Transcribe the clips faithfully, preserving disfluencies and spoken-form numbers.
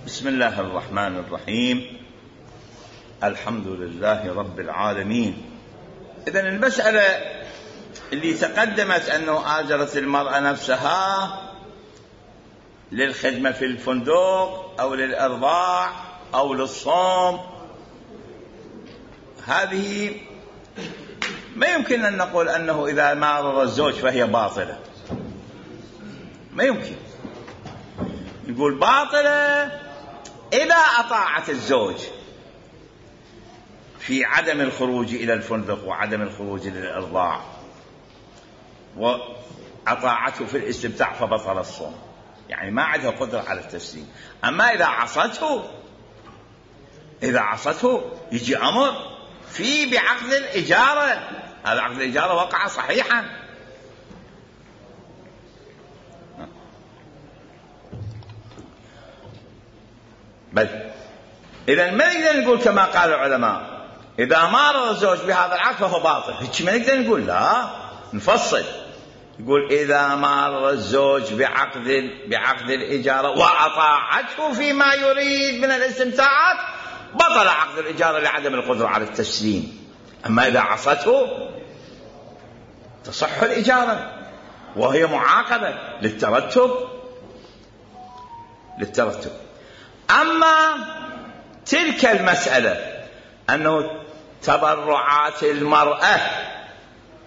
بسم الله الرحمن الرحيم. الحمد لله رب العالمين. إذن المسألة اللي تقدمت أنه آجرت المرأة نفسها للخدمة في الفندق أو للإرضاع أو للصوم، هذه ما يمكن أن نقول أنه إذا مارر الزوج فهي باطلة، ما يمكن نقول باطلة إذا أطاعت الزوج في عدم الخروج إلى الفندق وعدم الخروج للإرضاع وأطاعته في الاستمتاع فبطل الصوم، يعني ما عندها قدرة على التسليم. أما إذا عصته إذا عصته يجي أمر في بعقد الإجارة، هذا عقد الإجارة وقع صحيحا. بل إذا ما نقدر نقول كما قال العلماء إذا مارر الزوج بهذا العقد فهو باطل، هيك ما نقدر نقول، لا نفصل يقول إذا مارر الزوج بعقد بعقد الإجارة وأطاعته فيما يريد من الاستمتاعات بطل عقد الإجارة لعدم القدرة على التسليم. أما إذا عصته تصح الإجارة وهي معاقبة للترتب للترتب أما تلك المسألة أنه تبرعات المرأة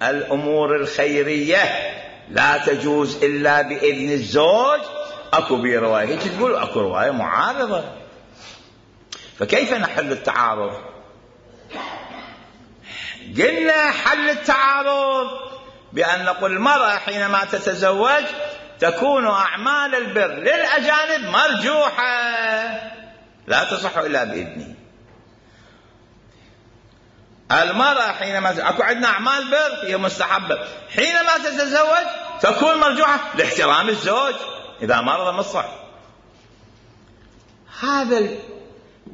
الأمور الخيرية لا تجوز إلا بإذن الزوج، أكو بي رواية هيك تقول، أكو رواية معارضة، فكيف نحل التعارض؟ قلنا حل التعارض بأن نقول المرأة حينما تتزوج تكون أعمال البر للأجانب مرجوحة لا تصح إلا بإذنه. المرأة حينما أكو عندنا أعمال بر هي مستحبة، حينما تتزوج تكون مرجوحة لاحترام الزوج إذا مرض مصح. هذا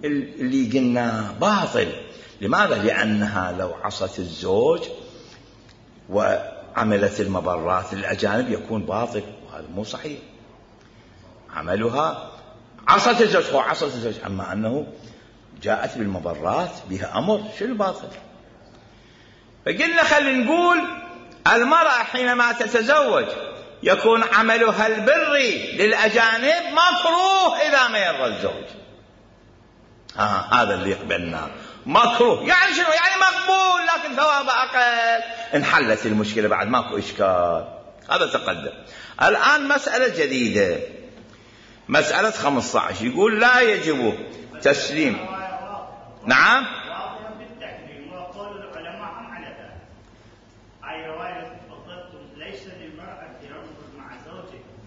اللي قلنا باطل. لماذا؟ لأنها لو عصت الزوج وعملت المبرات للأجانب يكون باطل، وهذا مو صحيح. عملها عصت الزوج هو عصت الزوج، أما أنه جاءت بالمبرات بها أمر، شو الباطل؟ فقلنا خلينا نقول المرأة حينما تتزوج يكون عملها البري للأجانب مكروه إذا ما يرضى الزوج. آه هذا اللي يقبلنا مكروه، يعني شنو؟ يعني مقبول لكن ثوابه أقل. انحلت المشكلة بعد، ماكو إشكال. هذا تقدم. الآن مسألة جديدة، مسألة خمسة عشر، يقول لا يجب تسليم. نعم.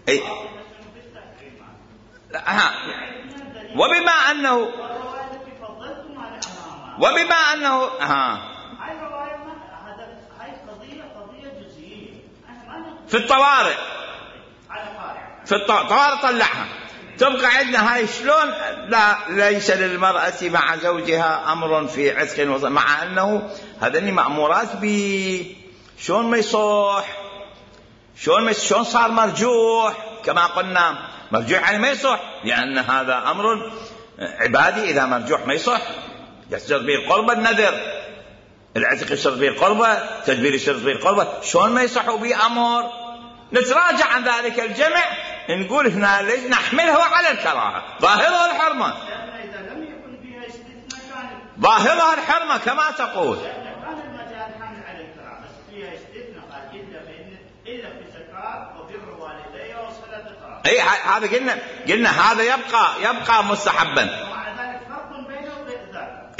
أي. ها. وبما أنه وبما أنه ها في الطوارئ في الطوارئ طلعها تبقى عندنا هاي شلون؟ لا ليس للمرأة مع زوجها أمر في عتق وص... مع أنه هذني مأمورات ب شلون ما يصح، شلون ما شلون صار مرجوح كما قلنا. مرجوح يعني ما يصح، لأن هذا أمر عبادي. إذا مرجوح ما يصح، يشترط به القربة النذر، العتق يشترط به القربة، تدبير يشترط به القربة، شلون ما يصح به أمر؟ نتراجع عن ذلك الجمع نقول هنا ليش نحمله على الكراهة، ظاهرها الحرمة، ظاهرها الحرمة كما تقول. اي هذا قلنا قلنا هذا يبقى يبقى مستحبا.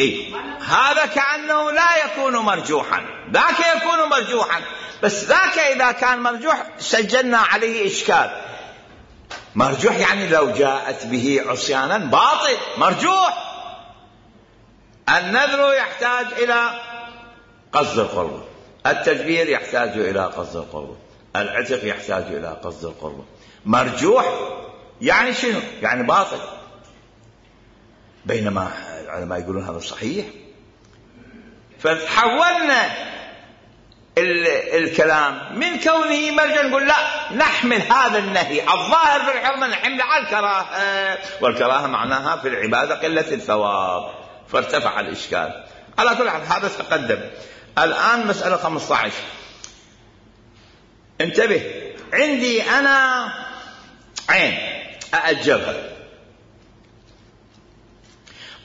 اي هذا كأنه لا يكون مرجوحا، ذاك يكون مرجوحا، بس ذاك إذا كان مرجوح سجلنا عليه إشكال. مرجوح يعني لو جاءت به عصيانا باطل مرجوح. النذر يحتاج إلى قصد القربة، التدبير يحتاج إلى قصد القربة، العتق يحتاج إلى قصد القربة. مرجوح يعني شنو؟ يعني باطل. بينما العلماء يقولون هذا صحيح. فتحولنا الكلام من كونه مرجا، نقول لا، نحمل هذا النهي الظاهر في الحرمة نحمل على الكراهة، والكراهة معناها في العبادة قلة الثواب، فارتفع الإشكال. على كل حال هذا تقدم. الآن مسألة خمسة عشر، انتبه، عندي أنا عين أأجرها،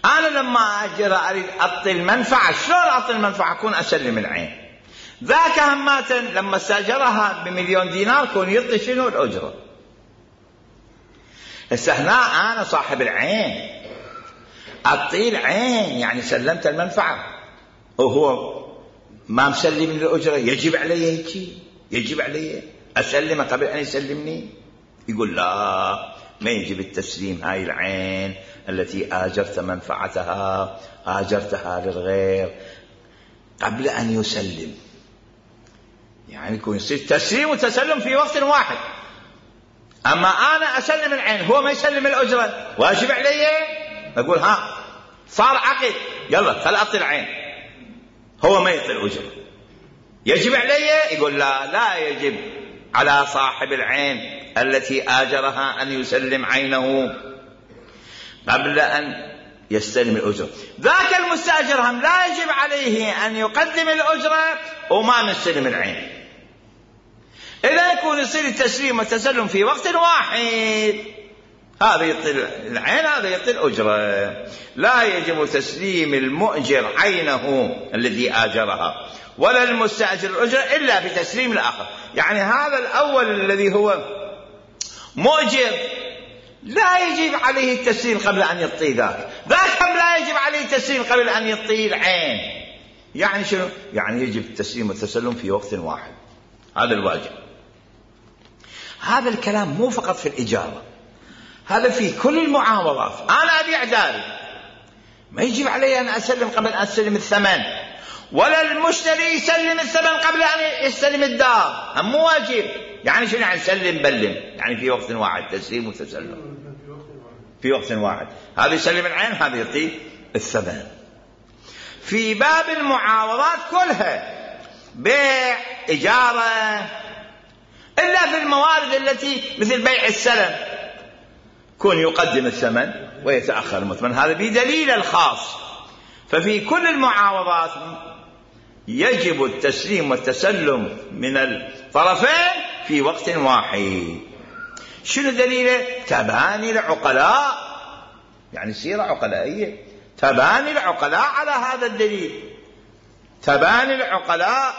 أنا لما أأجرها أريد أعطي المنفعة، شلون أعطي المنفعة؟ أكون أسلم العين. ذاك همات لما استأجرها بمليون دينار كون يعطي شنو؟ الأجرة. هسه هنا أنا صاحب العين أعطي العين، يعني سلمت المنفعة وهو ما مسلم الأجرة، يجب علي هيك؟ يجب علي أسلمه قبل أن يسلمني؟ يقول لا، ما يجب التسليم. هاي العين التي آجرت منفعتها آجرتها للغير قبل أن يسلم، يعني يكون يصير تسليم وتسلم في وقت واحد. أما أنا أسلم العين هو ما يسلم الأجرة، واجب علي أقول ها صار عقد، يلا خل أعطي العين، هو ما يعطي الأجرة، يجب علي؟ يقول لا، لا يجب على صاحب العين التي آجرها أن يسلم عينه قبل أن يستلم الأجرة. ذاك المستأجر هم لا يجب عليه أن يقدم الأجرة وما نستلم العين. إذا يكون يصير التسليم والتسلم في وقت واحد، هذا يعطي العين هذا يعطي الأجرة. لا يجب تسليم المؤجر عينه الذي آجرها ولا المستأجر الأجرة إلا بتسليم الآخر. يعني هذا الأول الذي هو مؤجر لا يجب عليه التسليم قبل أن يعطي ذاك، ذاك هم لا يجب عليه التسليم قبل أن يعطي العين. يعني شنو؟ يعني يجب التسليم والتسلم في وقت واحد، هذا الواجب. هذا الكلام مو فقط في الإجارة، هذا في كل المعاملات. أنا أبيع داري، ما يجب علي أن أسلم قبل أن أستلم الثمن، ولا المشتري يسلم الثمن قبل أن يستلم الدار، هم مو واجب. يعني شنو يعني سلم بلم؟ يعني في وقت واحد تسليم وتسلم في وقت واحد، هذا يسلم العين هذا يعطي الثمن. في باب المعاوضات كلها، بيع، إجارة، إلا في الموارد التي مثل بيع السلم كون يقدم الثمن ويتأخر المثمن، هذا بدليل الخاص. ففي كل المعاوضات يجب التسليم والتسلم من الطرفين في وقت واحد. شنو دليله؟ تباني العقلاء، يعني سيرة عقلائية، تباني العقلاء على هذا الدليل، تباني العقلاء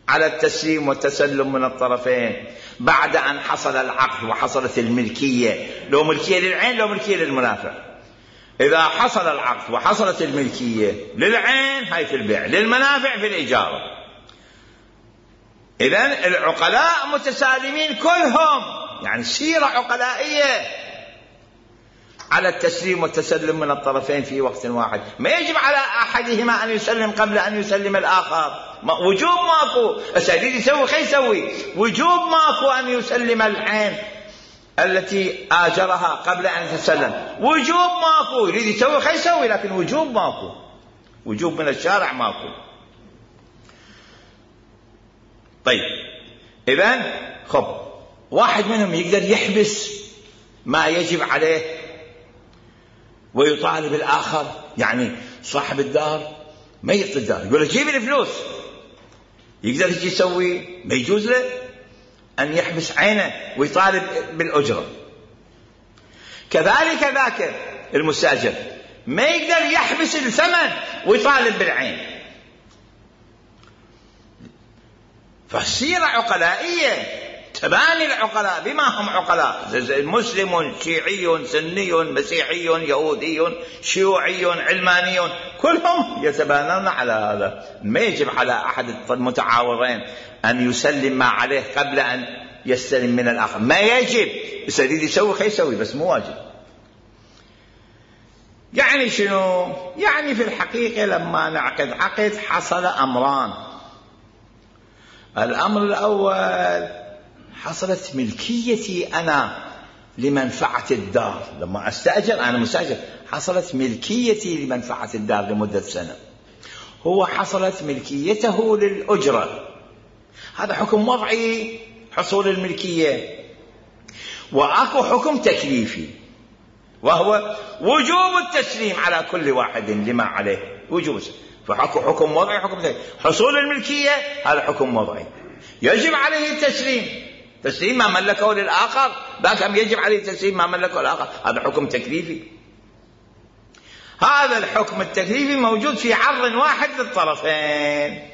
على التسليم والتسلم من الطرفين بعد أن حصل العقد وحصلت الملكية، لو ملكية للعين لو ملكية للمنافع. إذا حصل العقد وحصلت الملكية للعين هاي في البيع، للمنافع في الإجارة. إذن العقلاء متسالمين كلهم، يعني سيرة عقلائية على التسليم والتسلم من الطرفين في وقت واحد. ما يجب على أحدهما أن يسلم قبل أن يسلم الآخر، وجوب ماكو. أسألين يسوي خي يسوي، وجوب ماكو أن يسلم العين التي آجرها قبل أن يتسلم، وجوب ماكو. يريد يسوي خي يسوي، لكن وجوب ماكو، وجوب من الشارع ماكو. طيب إذن خب واحد منهم يقدر يحبس ما يجب عليه ويطالب الآخر، يعني صاحب الدار ما يعطي الدار، يقول له جيب الفلوس، يقدر يجي يسوي؟ ما يجوز له أن يحبس عينه ويطالب بالأجرة. كذلك ذاك المستأجر ما يقدر يحبس الثمن ويطالب بالعين. فالسيرة عقلائية، تباني العقلاء بما هم عقلاء، مسلم، شيعي، سني، مسيحي، يهودي، شيوعي، علماني، كلهم يتبانون على هذا. ما يجب على أحد المتعاورين أن يسلم ما عليه قبل أن يستلم من الآخر، ما يجب. يريد يسوي خي يسوي، بس مو واجب. يعني شنو؟ يعني في الحقيقة لما نعقد عقد حصل أمران. الأمر الأول حصلت ملكيتي أنا لمنفعة الدار، لما أستأجر أنا مستأجر حصلت ملكيتي لمنفعة الدار لمدة سنة. هو حصلت ملكيته للأجرة، هذا حكم وضعي حصول الملكية. وأكو حكم تكليفي وهو وجوب التسليم على كل واحد لما عليه وجوب. فحكم حكم وضعي حكم تكليفي. حصول الملكية هذا حكم وضعي يجب عليه التسليم، تسليم ما ملكه للآخر، باكم يجب عليه تسليم ما ملكه للآخر، هذا حكم تكليفي. هذا الحكم التكليفي موجود في عرض واحد للطرفين.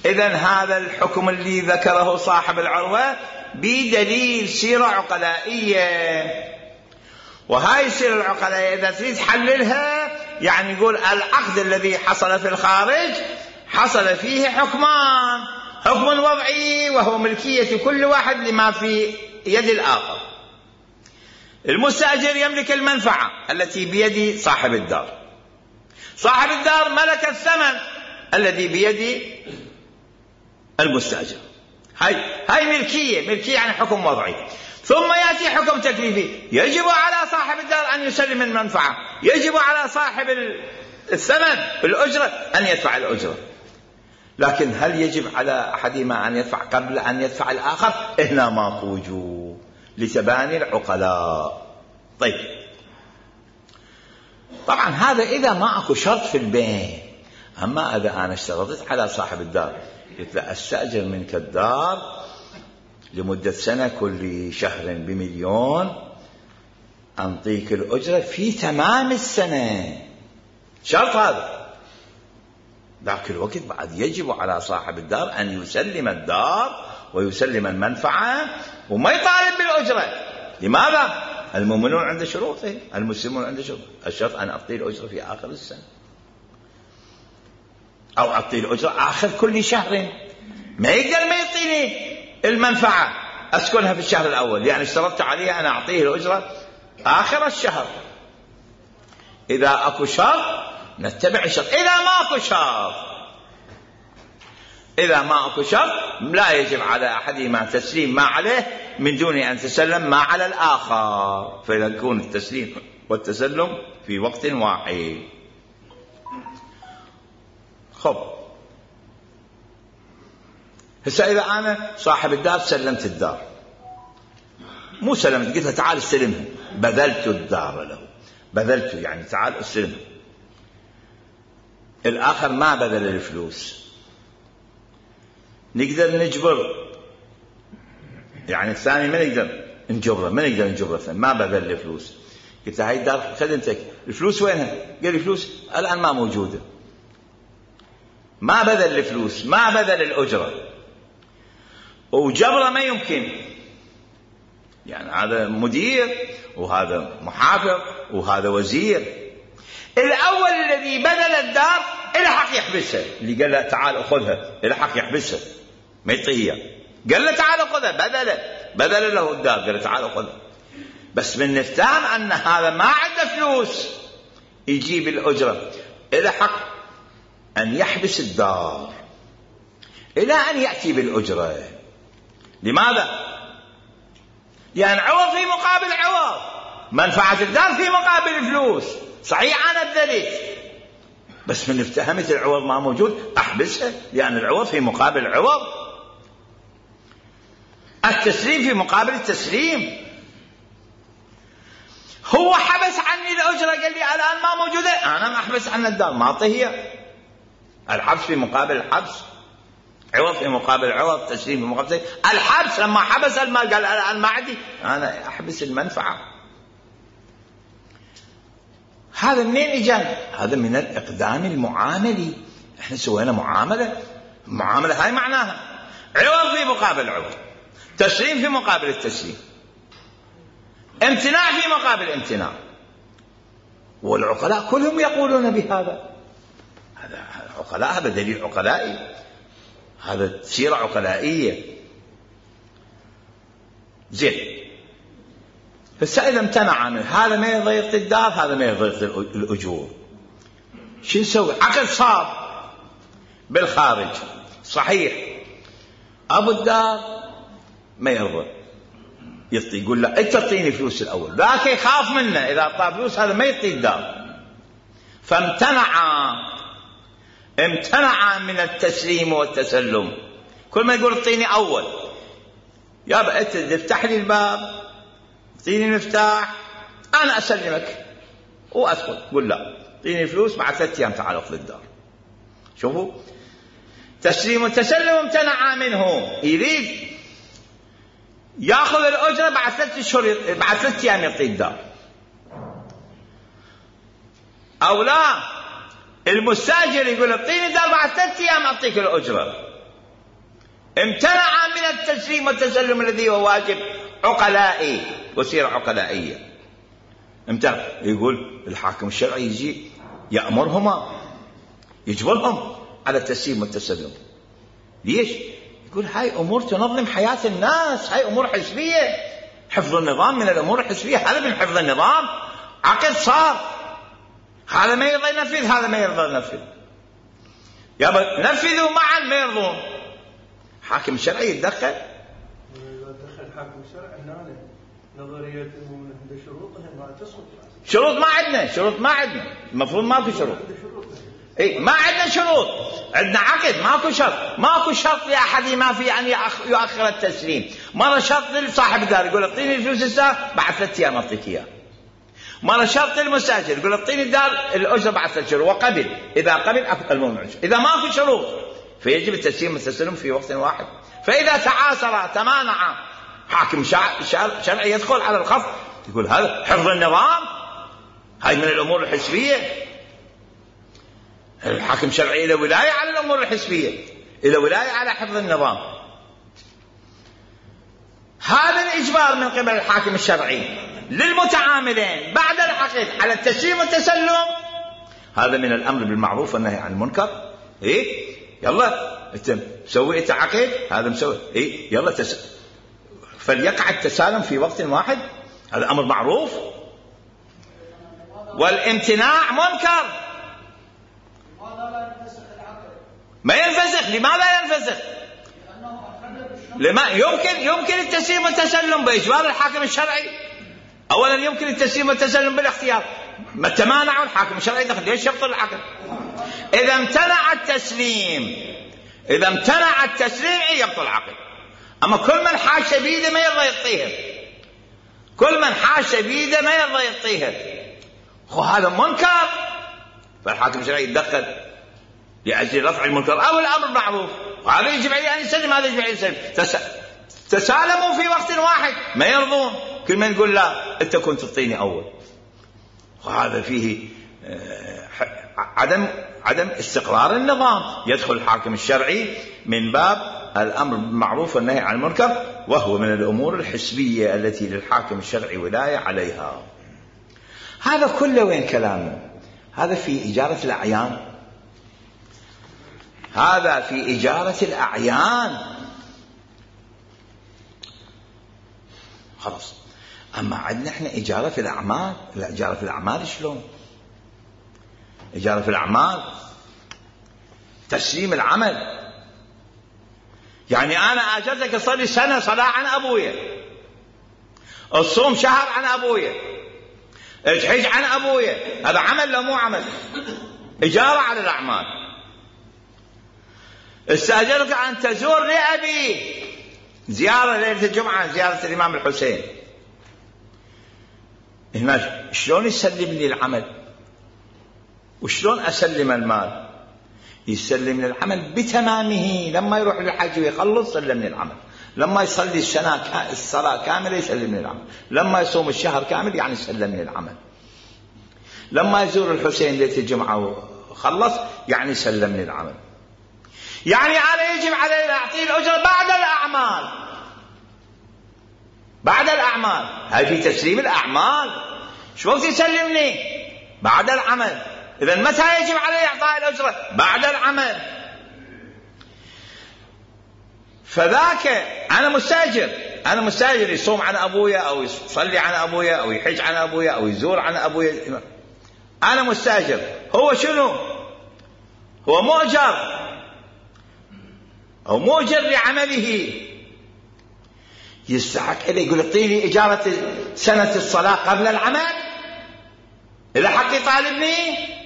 إذن هذا الحكم اللي ذكره صاحب العروة بدليل سيرة عقلائية، وهاي السيرة العقلائية إذا تريد تحللها يعني يقول العقد الذي حصل في الخارج حصل فيه حكمان، حكم وضعي وهو ملكية كل واحد لما في يد الآخر. المستأجر يملك المنفعة التي بيد صاحب الدار، صاحب الدار ملك الثمن الذي بيد المستأجر. هاي هاي ملكية، ملكية يعني حكم وضعي. ثم يأتي حكم تكليفي، يجب على صاحب الدار أن يسلم المنفعة، يجب على صاحب الثمن الأجرة أن يدفع الأجرة. لكن هل يجب على أحدهما أن يدفع قبل أن يدفع الآخر؟ هنا ماكو وجوب لتباني العقلاء. طيب طبعا هذا إذا ما أكو شرط في البيع. أما إذا أنا اشترطت على صاحب الدار قلت له أستأجر منك الدار لمدة سنة كل شهر بمليون، أنطيك الأجرة في تمام السنة، شرط هذا. ذاك الوقت بعد يجب على صاحب الدار أن يسلم الدار ويسلم المنفعة وما يطالب بالأجرة. لماذا؟ المؤمنون عند شروطه، المسلمون عند شروطه. الشرط أن أعطي الأجرة في آخر السنة أو أعطي الأجرة آخر كل شهر. ما يقدر ما يعطيني المنفعة أسكنها في الشهر الأول، يعني اشترطت عليها أنا أعطيه الأجرة آخر الشهر. إذا أكو شرط نتبع الشرط، إذا ما أكو شرط إذا ما أكو شرط لا يجب على أحدهما تسليم ما عليه من دون أن تسلم ما على الآخر، فيكون التسليم والتسلم في وقت واحد. خب هسه إذا أنا صاحب الدار سلمت الدار، مو سلمت، قلت له تعال استلمها، بذلت الدار له، بذلت يعني تعال استلمها. الآخر ما بذل الفلوس، نقدر نجبر يعني الثاني ما نقدر نجبره، ما نقدر نجبره الثاني ما بذل الفلوس. قلت له هاي الدار خدمتك، الفلوس وينها؟ قال لي فلوس الآن ما موجودة، ما بذل الفلوس، ما بذل الأجرة، وجبره ما يمكن. يعني هذا مدير وهذا محافظ وهذا وزير. الأول الذي بذل الدار إله حق يحبسها، اللي قال له تعال أخذها إله حق يحبسها ما يعطيها، قال له تعال أخذها، بذل بذل له الدار قال له تعال أخذها. بس من نفتهم أن هذا ما عنده فلوس يجيب الأجرة، إله حق أن يحبس الدار إلى أن يأتي بالأجرة. لماذا؟ يعني عوض في مقابل عوض، منفعة الدار في مقابل فلوس. صحيح أنا بذلت، بس من افتهمت العوض ما موجود أحبسها، لأن العوض في مقابل عوض، التسليم في مقابل التسليم. هو حبس عني الأجرة قال لي الآن ما موجودة، أنا ما أحبس عن الدار ما أعطيه. الحبس في مقابل الحبس، عوض في مقابل عوض، تسليم في مقابل تسليم. الحبس لما حبس المال قال الآن ما عندي، أنا أحبس المنفعة. هذا منين إجانا؟ هذا من الإقدام المعاملي. إحنا سوينا معاملة، المعاملة هاي معناها عوض في مقابل عوض، تسليم في مقابل التسليم، امتناع في مقابل امتناع. والعقلاء كلهم يقولون بهذا. هذا عقلاء، هذا دليل عقلائي، هذا سيرة عقلائية. زين، هسه إذا امتنع عنه، هذا ما يضيق الدار، هذا ما يضيق الأجور، شو نسوي؟ عقد صار بالخارج صحيح، أبو الدار ما يرضى يعطي، يقول له أنت تعطيني فلوس الأول، ذاك يخاف منه إذا أعطاه فلوس هذا ما يعطي الدار، فامتنع امتنع من التسليم والتسلم. كل ما يقول اعطيني أول، يابا أنت تفتح لي الباب، اعطيني المفتاح، أنا أسلمك وأدخل. قل لا، اعطيني فلوس، بعد ثلاثة أيام تعال أخذ الدار. شوفوا، تسليم وتسلم امتنع منه. يريد ياخذ الأجرة بعد ثلاثة أشهر، بعد ثلاثة أيام يعطي الدار. أو لا، المستاجر يقول اعطيني الدار بعد ثلاثة أيام أعطيك الأجرة. امتنع من التسليم والتسلم الذي هو واجب عقلائي وسيرة عقلائية. امتنع. يقول الحاكم الشرعي يجي يأمرهما، يجبرهم على التسليم والتسلم. ليش؟ يقول هاي أمور تنظم حياة الناس، هاي أمور حزبية. حفظ النظام من الأمور الحزبية، هذا من حفظ النظام. عقد صار، هذا ما يرضى ينفذ، هذا ما يرضى ينفذ، يابا نفذوا معا ما يرضون. حاكم الشرعي يتدخل. إذا دخل حاكم الشرعي هنا نظرية إنه عنده شروطها ما تسقط. شروط ما عندنا، شروط ما عندنا، المفروض ماكو شروط. اي ما عندنا شروط، عندنا عقد، ماكو شرط. ماكو شرط لأحد ما في أن يؤخر التسليم. مرة شرط لصاحب الدار يقول اعطيني الفلوس الساعة بعد ثلاثة أيام أعطيك إياه. مرة شرط للمستاجر يقول اعطيني الدار الأجرة بعد ثلاث شهور، وقبل. إذا قبل الموضوع. إذا ماكو شروط فيجب التسليم والتسلم في وقت واحد. فإذا تعاسر تمانع حاكم شرعي يدخل على الخط، يقول هذا حفظ النظام، هاي من الأمور الحزبية. الحاكم الشرعي له ولاية على الأمور الحزبية، له ولاية على حفظ النظام. هذا الإجبار من قبل الحاكم الشرعي للمتعاملين بعد العقد على التسليم والتسلم، هذا من الأمر بالمعروف والنهي عن المنكر. إيه يلا انت مسوي انت عقد، هذا مسوي إيه يلا تس... فليقع التسالم في وقت واحد، هذا أمر معروف. والامتناع منكر. ما ينفسخ. لماذا ينفسخ؟ لما يمكن يمكن التسليم والتسلم بإجبار الحاكم الشرعي. أولا يمكن التسليم والتسلم بالاختيار، ما تمانعوا الحاكم الشرعي دخل ليش يبطل العقد؟ إذا امتنع التسليم، إذا امتنع التسليم يبطل العقد. أما كل من حاش بيده ما يرضى يعطيها، كل من حاش بيده ما يرضى يعطيها، وهذا منكر. فالحاكم الشرعي يتدخل لأجل رفع المنكر أو الأمر معروف، وهذا يجب عليه أن يسلم، هذا يجب عليه يسلم. تس... تسالموا في وقت واحد ما يرضون، كل من يقول لا أنت كنت تعطيني أول. وهذا فيه عدم عدم استقرار النظام. يدخل الحاكم الشرعي من باب الأمر بالمعروف والنهي عن المنكر، وهو من الأمور الحسبية التي للحاكم الشرعي ولاية عليها. هذا كله وين كلامه؟ هذا في إجارة الأعيان، هذا في إجارة الأعيان خلاص. أما عندنا إحنا إجارة في الأعمال. لا، إجارة في الأعمال شلون؟ إجارة في الأعمال تسليم العمل. يعني أنا أجرتك أصلي سنة صلاة عن أبويا، الصوم شهر عن أبويا، الحج عن أبويا، هذا عمل لو مو عمل؟ إجارة على الأعمال. استأجرك أن تزور لأبي زيارة ليلة الجمعة، زيارة الإمام الحسين. هنا شلون يسلم لي العمل وشلون أسلم المال؟ يسلم لي العمل بتمامه. لما يروح للحج ويخلص سلمني العمل، لما يصلي السنة الصلاة كاملة يسلمني العمل، لما يصوم الشهر كامل يعني سلمني العمل، لما يزور الحسين ليلة الجمعة وخلص يعني سلمني العمل. يعني أنا يجب علي أن أعطيه الأجرة بعد الأعمال، بعد الأعمال. هاي في تسليم الأعمال. شو وقت يسلمني؟ بعد العمل. إذا متى يجب علي إعطاء الأجرة؟ بعد العمل. فذاك أنا مستأجر، أنا مستأجر يصوم عن أبويا أو يصلي عن أبويا أو يحج عن أبويا أو يزور عن أبويا، أنا مستأجر. هو شنو؟ هو مؤجر أو مؤجر لعمله، يستحق إليه. يقول اعطيني إجارة سنة الصلاة قبل العمل إذا حق يطالبني،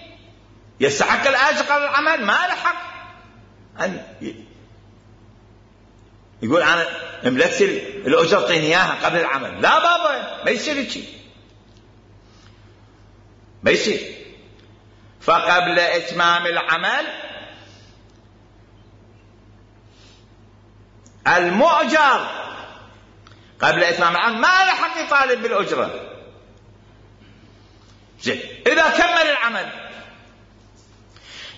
يستحق الأجر قبل العمل، ما له حق أن يقول أنا ملكت الأجر اعطيني إياها قبل العمل. لا بابا، ما يصير شيء، ما يصير. فقبل إتمام العمل المؤجر قبل إتمام العمل ما له حق يطالب بالأجرة. زين، إذا كمل العمل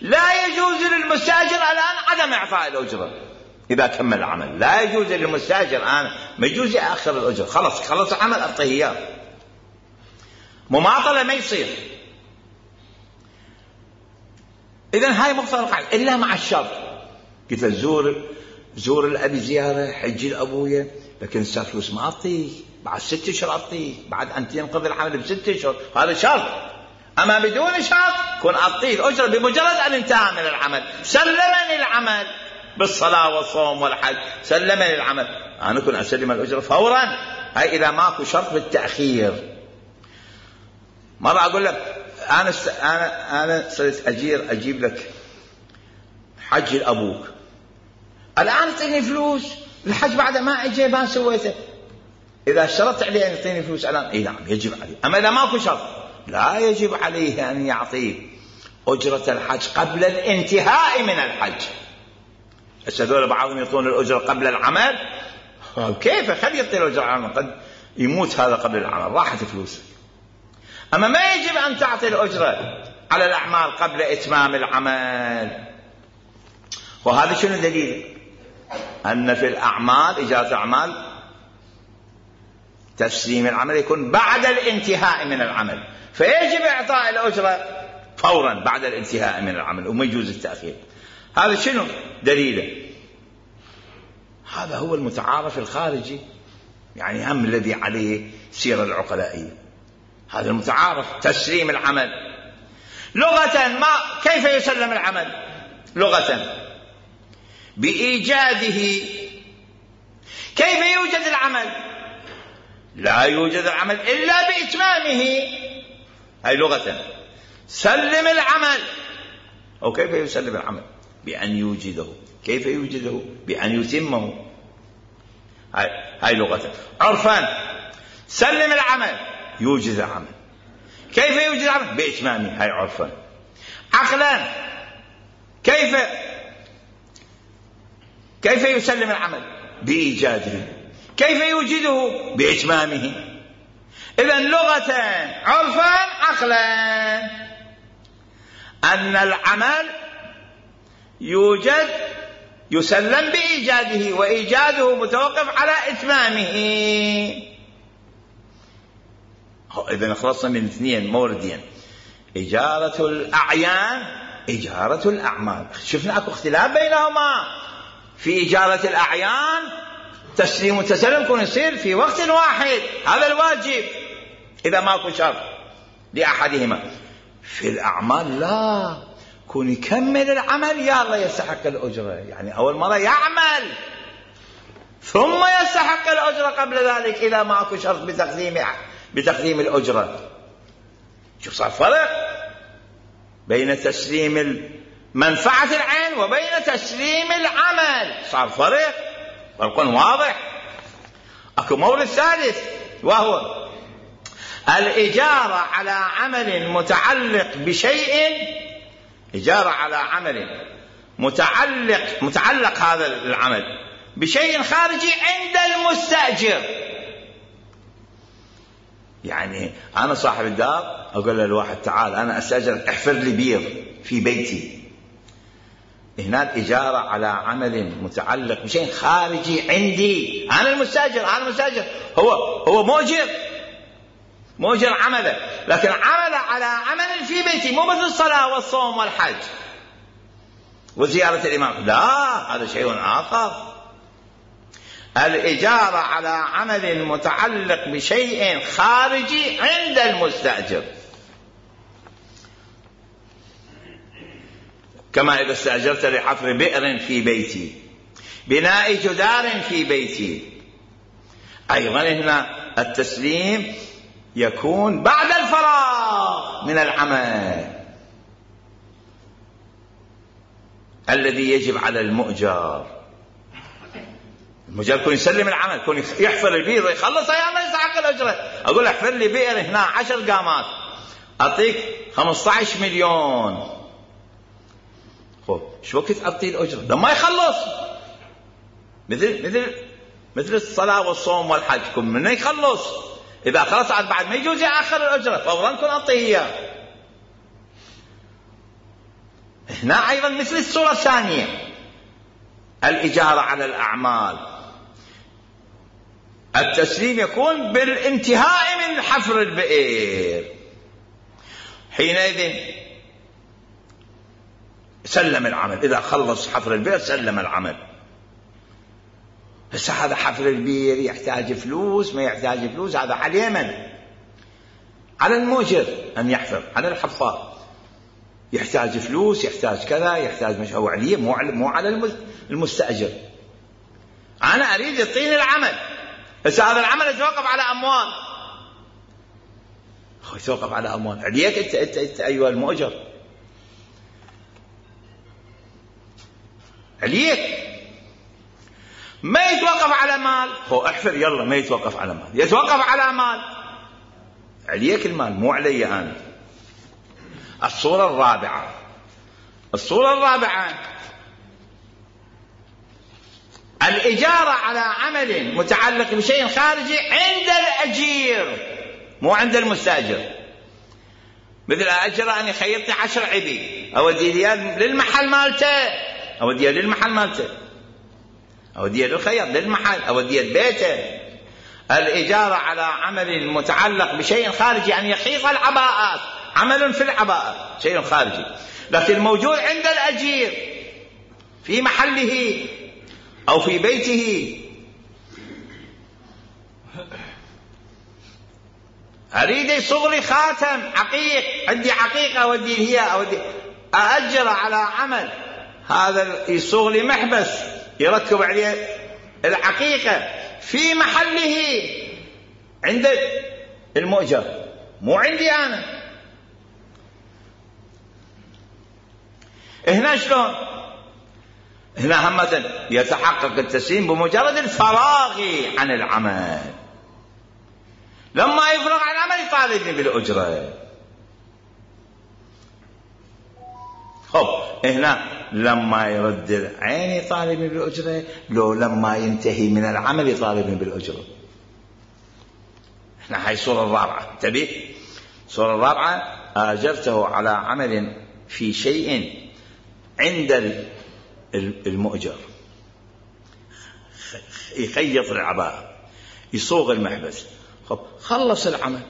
لا يجوز للمستأجر الآن عدم إعطاء الأجرة. إذا كمل العمل لا يجوز للمستأجر الآن، ما يجوز يأخر الأجرة. خلص خلص العمل أعطيه إياه. مماطلة ما يصير. إذن هاي مقتضى القاعدة، إلا مع الشرط. قلت له زور زور الأبي زيارة، حجي لأبويا، لكن صار فلوس ما أعطيه، بعد ست أشهر أعطيه، بعد أن ينقضي العمل بست أشهر، هذا شرط. أما بدون شرط كن أعطيه الأجرة بمجرد أن انتهى من العمل. سلمني العمل بالصلاة والصوم والحج، سلمني العمل، أنا كن أسلم الأجرة فورا. هاي إذا ماكو شرط بالتأخير. مرة أقول لك أنا س... أنا أنا صرت أجير أجيب لك حج لأبوك، الآن تعطيني فلوس الحج بعد ما أجي ما سويته. إذا اشترطت عليه أن يعطيني فلوس الآن، إيه نعم يجب عليه. أما إذا ماكو شرط لا يجب عليه أن يعطيه أجرة الحج قبل الانتهاء من الحج. هذول بعضهم يعطون الأجرة قبل العمل، كيف خلي يعطي الأجرة العمل؟ قد يموت هذا قبل العمل، راحت فلوسه. أما ما يجب أن تعطي الأجرة على الأعمال قبل إتمام العمل. وهذا شنو دليل؟ أن في الأعمال إجازة الأعمال تسليم العمل يكون بعد الانتهاء من العمل، فيجب إعطاء الأجرة فورا بعد الانتهاء من العمل وما يجوز التأخير. هذا شنو دليله؟ هذا هو المتعارف الخارجي، يعني هم الذي عليه سير العقلائية. هذا المتعارف تسليم العمل. لغة ما كيف يسلم العمل؟ لغة بإيجاده. كيف يوجد العمل؟ لا يوجد العمل إلا بإتمامه. هاي لغة. سلم العمل. أو كيف يسلم العمل؟ بأن يوجده. كيف يوجده؟ بأن يتمه. هاي هاي لغة. عرفا سلم العمل، يوجد العمل. كيف يوجد العمل؟ بإتمامه. هاي عرفا. عقلا كيف كيف يسلم العمل؟ بإيجاده. كيف يوجده؟ بإتمامه. إذن لغة عرفا عقلا أن العمل يوجد يسلم بإيجاده، وإيجاده متوقف على إتمامه. إذن خلصنا من اثنين موردين: إجارة الأعيان، إجارة الأعمال. شفنا أكو اختلاف بينهما. في إجارة الأعيان تسليم وتسلم يكون يصير في وقت واحد، هذا الواجب إذا ماكو شرط لأحدهما. في الأعمال لا، كون يكمل العمل يا الله يستحق الأجرة، يعني أول مرة يعمل ثم يستحق الأجرة قبل ذلك إذا ماكو شرط بتقديم بتقديم الأجرة. شوف صار فرق بين تسليم منفعة العين وبين تسليم العمل، صار فرق، فرق واضح. أكو مورد ثالث وهو الإجارة على عمل متعلق بشيء، إجارة على عمل متعلق متعلق هذا العمل بشيء خارجي عند المستأجر. يعني أنا صاحب الدار أقول للواحد تعال أنا أستأجر احفر لي بير في بيتي، هناك إجارة على عمل متعلق بشيء خارجي عندي، أنا المستأجر أنا المستأجر هو هو مؤجر مؤجر عمله، لكن عمل على عمل في بيتي، مو مثل الصلاة والصوم والحج وزيارة الإمام، لا هذا شيء آخر. الإجارة على عمل متعلق بشيء خارجي عند المستأجر، كما إذا استأجرت لحفر بئر في بيتي، بناء جدار في بيتي. أيضا هنا التسليم يكون بعد الفراغ من العمل، الذي يجب على المؤجر. المؤجر يكون يسلم العمل، يكون يحفر البئر يخلص، يا الله يستحق الأجرة. أقول احفر لي بئر هنا عشر قامات أعطيك خمسة عشر مليون. خب شو وقت أعطيه الأجرة لما يخلص؟ مثل مثل مثل الصلاة والصوم والحج، كن منه يخلص. إذا خلص عاد بعد ما يجوز يأخر الأجرة، فورا كن أعطيه إياه. هنا أيضا مثل الصورة الثانية، الإجارة على الأعمال، التسليم يكون بالانتهاء من حفر البئر، حينئذ سلم العمل. إذا خلص حفر البئر سلم العمل. بس هذا حفر البئر يحتاج فلوس ما يحتاج فلوس، هذا على اليمن، على المؤجر أن يحفر، على الحفار يحتاج فلوس، يحتاج كذا، يحتاج مش هو عليه، مو مو على المستأجر. أنا أريد يعطيني العمل، بس هذا العمل يتوقف على أموال. يتوقف على أموال عليك أنت, أنت, أنت أيها المؤجر، عليك. ما يتوقف على مال، هو احفر يلا، ما يتوقف على مال، يتوقف على مال، عليك المال مو علي أنا. الصورة الرابعة، الصورة الرابعة الإجارة على عمل متعلق بشيء خارجي عند الأجير مو عند المستأجر. مثل أجر أن يخيط عشر عبي، أوديه للمحل مالته، أوديه للمحل مالته، أوديه للخياط للمحل، أوديه لبيته. الإجارة على عمل متعلق بشيء خارجي أن يخيط العباءات، عمل في العباءة شيء خارجي، لكن موجود عند الأجير في محله أو في بيته. أريد يصغ لي خاتم عقيق، عندي عقيقة أودي هي، أودي أأجر على عمل، هذا يصغ لي محبس يركب عليه العقيقة في محله عند المؤجر مو عندي أنا. هنا شلون؟ هنا همة يتحقق التسليم بمجرد الفراغ عن العمل. لما يفرغ عن العمل يطالبني بالأجرة. خب هنا لما يرد العين يطالبني بالأجرة، لو لما ينتهي من العمل يطالبني بالأجرة. هنا هاي الصورة الرابعة، انتبه. الصورة الرابعة آجرته على عمل في شيء عند المؤجر، يخيط العباءة، يصوغ المحبس. خب خلص العمل،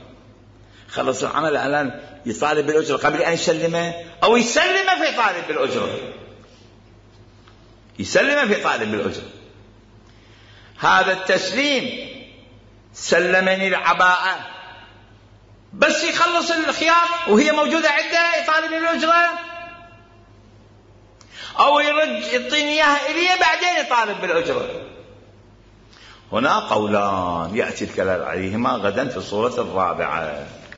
خلص العمل الآن يطالب بالأجرة قبل أن يسلمه، أو يسلمه في طالب بالأجرة، يسلمه في طالب بالأجرة. هذا التسليم سلمني العباءة، بس يخلص الخياط وهي موجودة عنده يطالب بالأجرة، أو يرد يعطيني إياها إليه بعدين يطالب بالأجرة. هنا قولان يأتي الكلام عليهما غدا في الصورة الرابعة.